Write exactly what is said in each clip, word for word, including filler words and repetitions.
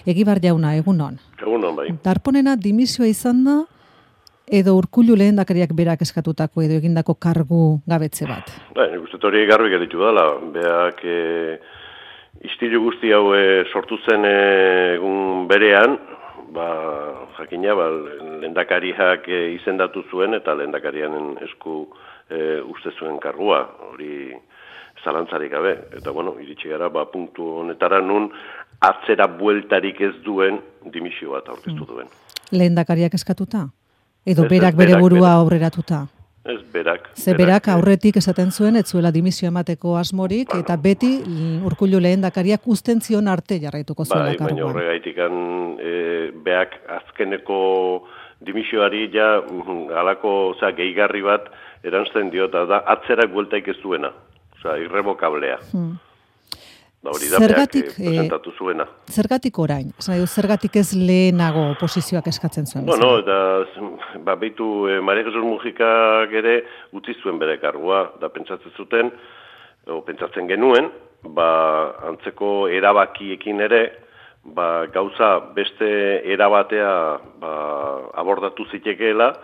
Egibar jauna, egunon. Egunon, bai. Darponena dimisioa izan da, edo Urkullu lehendakariak berak eskatutako edo egindako kargu gabetze bat? Bai, nik uste hori garbi geritu dela. Beak e, istilu guzti hau e, sortu zen e, egun berean, ba, jakina, ba, lehendakariak e, izendatu zuen eta lehendakarianen esku e, uste zuen kargua, hori zalantzarik gabe. Eta, bueno, iritsi gara, ba, punktu honetara nun atzera bueltarik ez duen dimisio bat aurkeztu duen. Lehendakariak eskatuta? Edo ez, berak ez, bere berak, burua berak. aurreratuta? Ez, berak. Ze berak aurretik esaten zuen, ez zuela dimisio emateko asmorik, bueno, eta beti Urkullu lehendakariak uzten zion arte jarraituko zuela bai, karguan. Baina horregaitikan e, beak azkeneko dimisioari ja halako osea, gehigarri bat erantzten diota da atzerak bueltaik ez duena. Osea, irrevokablea. Hmm. Da hori da zergatik, beak presentatu zuena. E, zergatik orain? Zergatik ez lehenago oposizioak eskatzen zuen? Bueno, eta ba, behitu e, Maria Jesus Mujikak ere utzi zuen bere kargua, da pentsatzen zuten, o pentsatzen genuen, ba, antzeko erabakiekin ere, ba, gauza beste erabatea ba, abordatu zitekeela,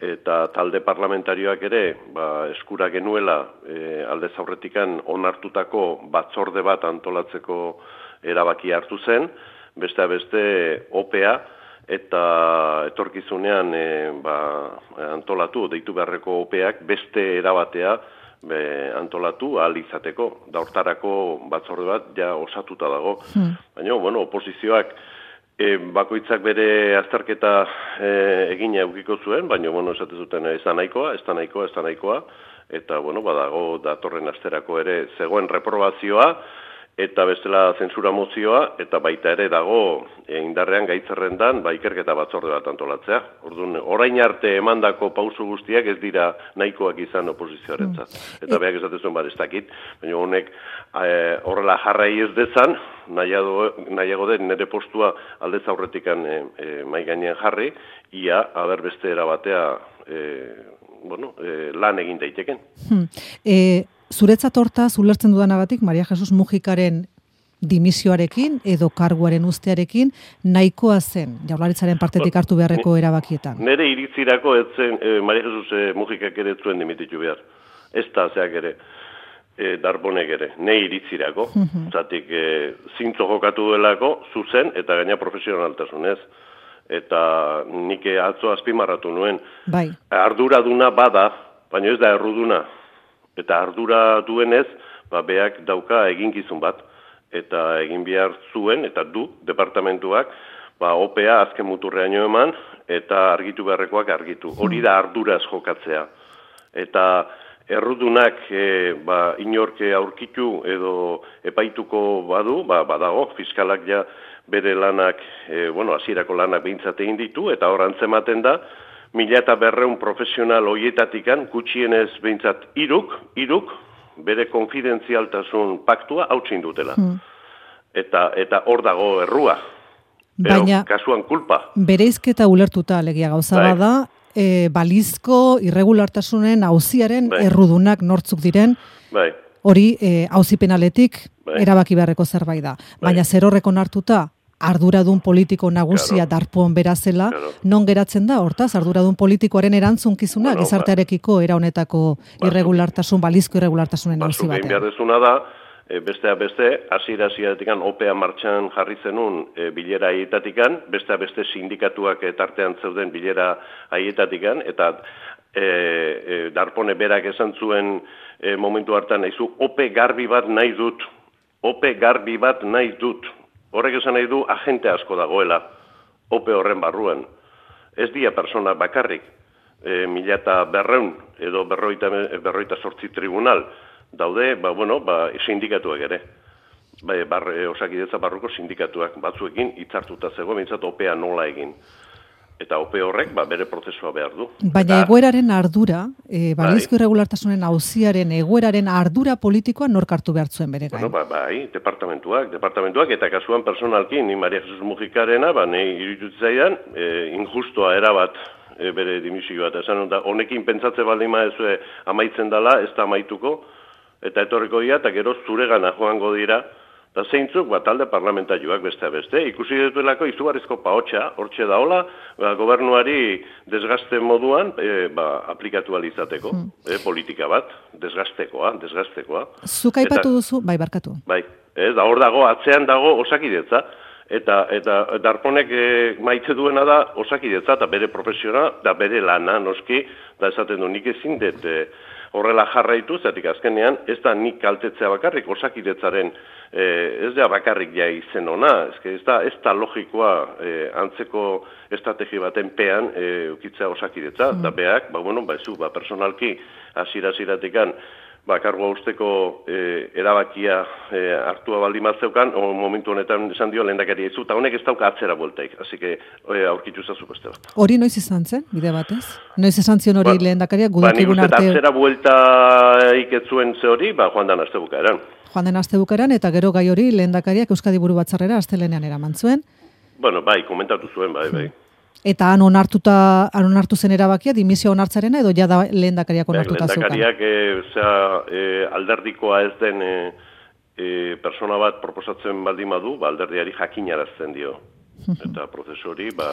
eta talde parlamentarioak ere ba, eskura genuela e, aldez aurretikan onartutako batzorde bat antolatzeko erabaki hartu zen, beste beste opea eta etorkizunean e, ba, antolatu, deitu beharreko opeak beste erabatea be, antolatu ahal izateko. Da hortarako batzorde bat ja osatuta dago. Hmm. Baina, bueno, oposizioak E, bakoitzak bere azterketa e, egina eukiko zuen, baina, bueno, esate zuten ez da nahikoa, ez da nahikoa, ez da nahikoa, eta, bueno, badago datorren asterako ere zegoen reprobazioa, eta bestela zentsura mozioa, eta baita ere dago e, indarrean gaitzerrendan ba, ikerketa batzorde bat antolatzea. Orduan, orain arte emandako pausu guztiak ez dira nahikoak izan oposizioarentzat. Eta beak esate zuen bat ez dakit, baina honek e, horrela jarrai ez dezan, nahiago, nahiago den nire postua aldez aurretikan e, e, mai gainean jarri, ia haber beste erabatea e, bueno, e, lan egin daiteken. Hmm. E, zuretzat hortaz, ulertzen dudanagatik, Maria Jesus Mujikaren dimisioarekin edo karguaren ustearekin nahikoa zen Jaurlaritzaren partetik hartu beharreko erabakietan. Nere iritzirako ez zen e, Maria Jesus e, Mujikak ere zuen dimititu behar. Ez da zeak ere. E, Darbonek ere, nei iritzirako, uh-huh. zatik e, zintzo jokatu duelako, zuzen eta gaina profesionaltasunez. Eta nik atzo azpimarratu nuen. Bai. Arduraduna bada, baina ez da erruduna. Eta ardura duenez, ba, beak dauka eginkizun bat. Eta egin behar zuen, eta du, departamentuak, ba, opea azken muturreaino eman, eta argitu beharrekoak argitu. Hori da arduraz jokatzea. Eta errudunak e, ba, inorke aurkitu edo epaituko badu, ba, badago, fiskalak ja bere lanak, e, bueno, hasierako lanak behintzat egin ditu, eta hor antzematen da, mila eta berreun profesional hoietatikan, gutxienez behintzat iruk, iruk, bere konfidentzialtasun paktua hautsin dutela. Hmm. Eta eta hor dago errua. Baina, kasuan kulpa. Bereizketa ulertuta legia gauza bai. Bada, E, balizko irregulartasunen auziaren bai. Errudunak nortzuk diren, bai. Hori e, auzi penaletik bai. Erabaki beharreko zerbait da. Bai. Baina zer horrekon hartuta, arduradun politiko nagusia claro. Darpon berazela, claro. Non geratzen da, hortaz, arduradun politikoaren erantzunkizunak, bueno, gizartearekiko era honetako ba, irregulartasun, balizko irregulartasunen auzi batean. Batzuk egin behar dezuna da, E, besteak beste, hasiera-hasieratik opea martxan jarri zenun e, bilera haietatik, besteak beste sindikatuak e, tartean zeuden bilera haietatik, eta e, e, Darpone berak esan zuen e, momentu hartan nahizu, ope garbi bat nahi dut, ope garbi bat nahi dut. Horrek esan nahi du agente asko dagoela, ope horren barruan. Ez dia persona bakarrik, e, mila eta berreun edo berroita, berroita sortzi tribunal, daude, ba, bueno, ba, sindikatuak ere. Ba, bar, osakidetza barruko sindikatuak batzuekin hitzartuta zegoen, bintzat opea nola egin. Eta ope horrek, ba, bere prozesua behar du. Baina eta, egoeraren ardura, e, balizko irregulartasunen auziaren egoeraren ardura politikoa nork hartu behar zuen bere gain? Bueno, ba, bai, departamentuak, departamentuak, eta kasuan personalki, ni Maria Jesus Mujikarena, ba, nahi irututzaidan, e, injustoa erabat e, bere dimisio bat. Esan, da, honekin pentsatze baldima ez amaitzen dela, ez da amaituko, eta etorriko dira, eta gero zuregana joango dira, Da zeintzuk, ba, talde parlamentarioak beste beste, ikusi dituelako izugarrizko paotxa, hortxe daola, ba, gobernuari desgaste moduan e, ba, aplikatu alizateko, hmm. e, politika bat, desgastekoa, desgastekoa. Zuk aipatu duzu, bai, barkatu. Bai, ez, da hor dago, atzean dago Osakidetza, eta eta Darponek e, maite duena da Osakidetza, eta bere profesiona, da bere lana, noski, da esaten du nik ezin dut, e, horrela jarraitu, zatik azkenean, ez da nik kaltetzea bakarrik, Osakidetzaren eh, ez da bakarrik ja izen ona, ez, ez, da, ez da logikoa eh, antzeko estrategi baten pean eh, ukitzea Osakidetza, mm. da beak, ba, bueno, ba, ez, ba, personalki, asira-asiratikan, ba, kargoa usteko e, erabakia e, hartua baldin bat zeukan, o momentu honetan esan dio lehendakari ez, eta honek ez dauka atzera bueltaik, hasi que e, aurkitu zazu beste bat. Hori noiz izan zen, bide batez? Noiz esan zion hori ba, lehendakaria, gudakigun ba, arte... Ba, atzera buelta iketzuen ze hori, ba, joan dan aste bukaeran. Joan den aste bukaeran, eta gero gai hori lehendakariak Euskadi Buru Batzarrera astelenean eraman zuen. Bueno, bai, komentatu zuen, bai, bai. Eta han onartuta, han onartu zen erabakia, dimisioa onartzarena, edo ja da lehendakariak onartuta zeukan? Lehendakariak e, zera, e, alderdikoa ez den e, e, persona bat proposatzen baldin badu, ba, alderdiari jakinarazten dio. Eta prozesori, ba,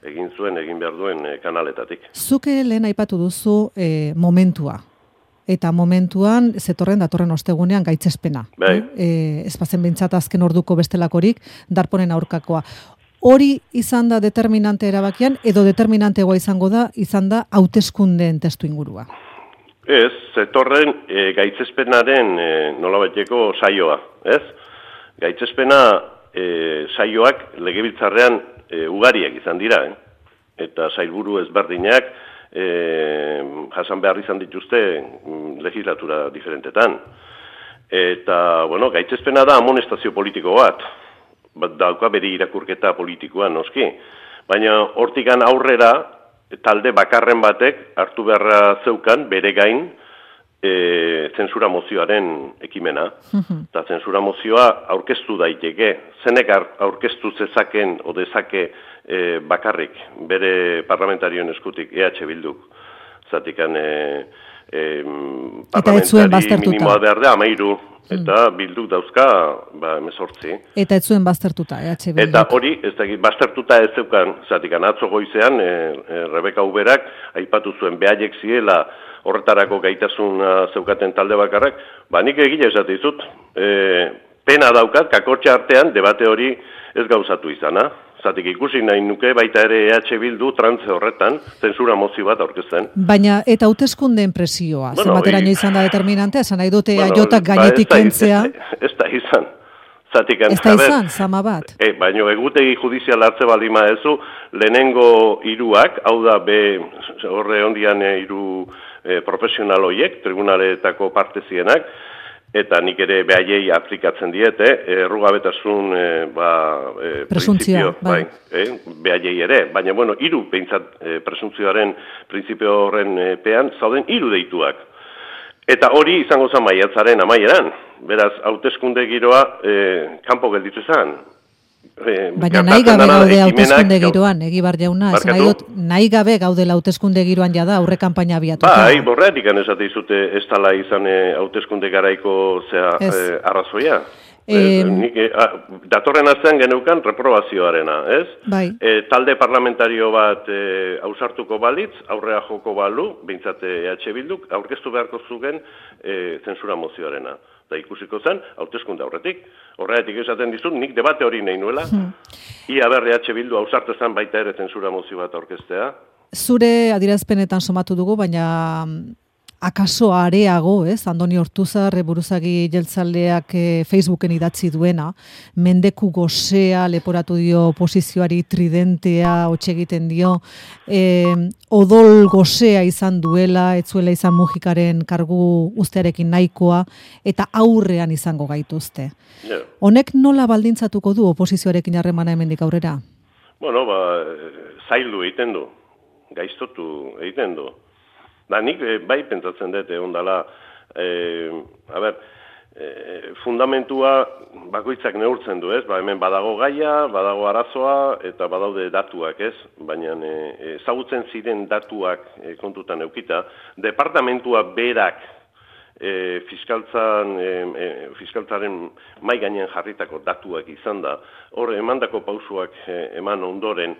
egin zuen, egin behar duen e, kanaletatik. Zuke lehen aipatu duzu e, momentua. Eta momentuan, zetorren, datorren ostegunean gaitzespena. Bai. E, ez bazen bintzat azken orduko bestelakorik, Darponen aurkakoa. Hori izan da determinante erabakian, edo determinantegoa izango da, izan da hauteskundeen testu ingurua? Ez, zetorren e, gaitzespenaren e, nolabaiteko saioa, ez? Gaitzespena e, saioak legebiltzarrean e, ugariak izan dira, eh? Eta sailburu ezberdinak e, jasan behar izan dituzte legislatura diferentetan. Eta, bueno, gaitzespena da amonestazio politiko bat. Bat dauka bere irakurketa politikoa noski. Baina hortikan aurrera talde bakarren batek hartu beharra zeukan bere gain e, zentsura mozioaren ekimena. Eta zentsura mozioa aurkeztu daiteke. Zenek aurkeztu zezaken o dezake e, bakarrik bere parlamentarioen eskutik E H Bilduk. Zatikan e, e, parlamentari minimoa behar da, amairu. Eta bilduk dauzka, ba, emezortzi. Eta ez zuen baztertuta, E H Bilduk. Eta hori, ez da, baztertuta ez zeukan, zatikan atzo goizean, e, e, Rebeka Uberak, aipatu zuen behaiek ziela horretarako gaitasun zeukaten talde bakarrak, ba, nik egile esate dizut, e, pena daukat, kakotxa artean, debate hori ez gauzatu izana. Zatik ikusi nahi nuke baita ere E H Bildu trantze horretan, zentsura mozio bat aurkezten. Baina eta hauteskundeen presioa, bueno, zenbateraino izan da determinantea, esan nahi dute bueno, aiotak gainetik ba, kentzea. Ez da izan. Zatik ez da izan, zama bat. E, baina egutegi judizial hartze baldima ezu, lehenengo hiruak, hau da be horre ondian hiru e, profesional hoiek, tribunaletako parte zienak, eta nik ere behaiei aplikatzen diete, errugabetasun e, ba, e, presuntzio, bai. bai e, behaiei ere, baina bueno, hiru behintzat e, presuntzioaren printzipio horren e, pean, zauden hiru deituak. Eta hori izango zen maiatzaren amaieran, beraz, hauteskunde giroa e, kanpo gelditu zen. E, Baina nahi gabe gaude hauteskunde giroan, Egibar jauna, ez nahi dut, nahi gabe gaudela hauteskunde giroan jada aurre kanpaina abiatuta. Bai, borreatik esate izute ez tala izan hauteskunde garaiko zea e, arrazoia. E, nik, e, a, datorren astean geneukan reprobazioarena, ez? Bai. E, talde parlamentario bat e, ausartuko balitz, aurrea joko balu, bintzate E H Bilduk, aurkeztu beharko zugen e, zentsura mozioarena. Da ikusiko zen, hauteskunde aurretik. Horregatik esaten dizut, nik debate hori nahi nuela. Hmm. Ia berri E H Bildu ausartu zen baita ere zentsura mozio bat aurkeztea. Zure adierazpenetan somatu dugu, baina akaso areago, ez? Andoni Ortuzar, buruzagi jeltzaleak e, Facebooken idatzi duena, mendeku gozea leporatu dio oposizioari, tridentea hotxe egiten dio, e, odol gozea izan duela, ez zuela izan Mujikaren kargu ustearekin nahikoa, eta aurrean izango gaituzte. Yeah. Honek nola baldintzatuko du oposizioarekin harremana hemendik aurrera? Bueno, ba, zaildu egiten du, gaiztotu egiten du. Da, nik e, bai pentsatzen dut egon dela, e, a ber, e, fundamentua bakoitzak neurtzen du, ez? Ba, hemen badago gaia, badago arazoa, eta badaude datuak, ez? Baina ezagutzen ziren datuak e, kontutan eukita, departamentua berak e, fiskaltzan, e, e, fiskaltzaren mai gainean jarritako datuak izan da, hor emandako pausuak e, eman ondoren,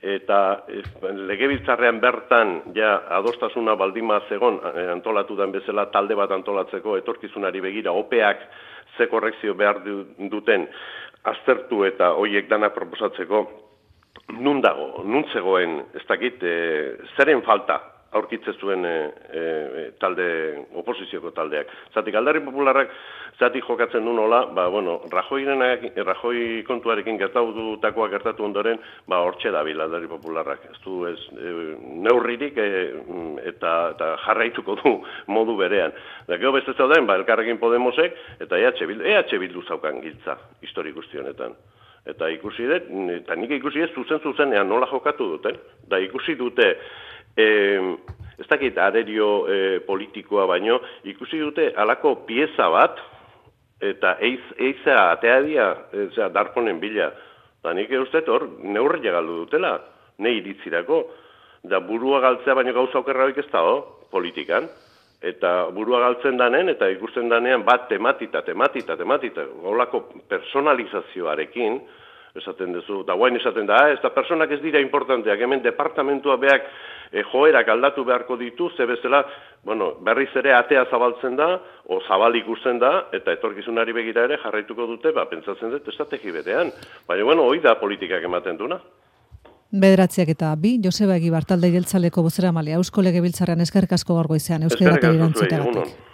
eta e, legebiltzarrean bertan ja adostasuna baldima zegon e, antolatu den bezala talde bat antolatzeko etorkizunari begira opeak ze korrekzio behar duten aztertu eta hoiek danak proposatzeko nun dago, nun zegoen, ez dakit, e, zeren falta aurkitzen zuen e, e, talde, oposizioko taldeak. Zatik, Alderdi Popularrak zatik jokatzen du nola, ba, bueno, Rajoi kontuarekin gertatutakoa gertatu ondoren, ba, hortxe dabil Alderdi Popularrak. Ez du, ez, e, neurririk e, eta, eta jarraituko du modu berean. Da, gero beste zauden, ba, Elkarrekin Podemosek, eta E H Bildu, E H Bildu zaukan giltza, histori guztionetan. Eta ikusi dut, eta nik ikusi ez zuzen-zuzenean nola jokatu duten, da ikusi dute, E, ez dakit arerio e, politikoa baino, ikusi dute halako pieza bat, eta eiz, eiza atea dia, eza, darponen bila. Da nik uste hor, neurria galdu dutela, ne iritzirako. Da burua galtzea baino gauza okerraik ez da, politikan. Eta burua galtzen danen, eta ikusten danean bat tematita, tematita, tematita, holako personalizazioarekin, esaten duzu, da guain esaten da, ez da personak ez dira importanteak, hemen departamentua beak e, joerak aldatu beharko ditu, ze bezala, bueno, berriz ere atea zabaltzen da, o zabal ikusten da, eta etorkizunari begira ere jarraituko dute, ba, pentsatzen dut, estrategi berean. Baina, bueno, hoi da politikak ematen duna. Bederatziak eta bi, Joseba Egibar, talde jeltzaleko bozeramalea, Eusko Legebiltzarrean eskerrik asko gaur goizean, Euskal Herria irantzuteagatik.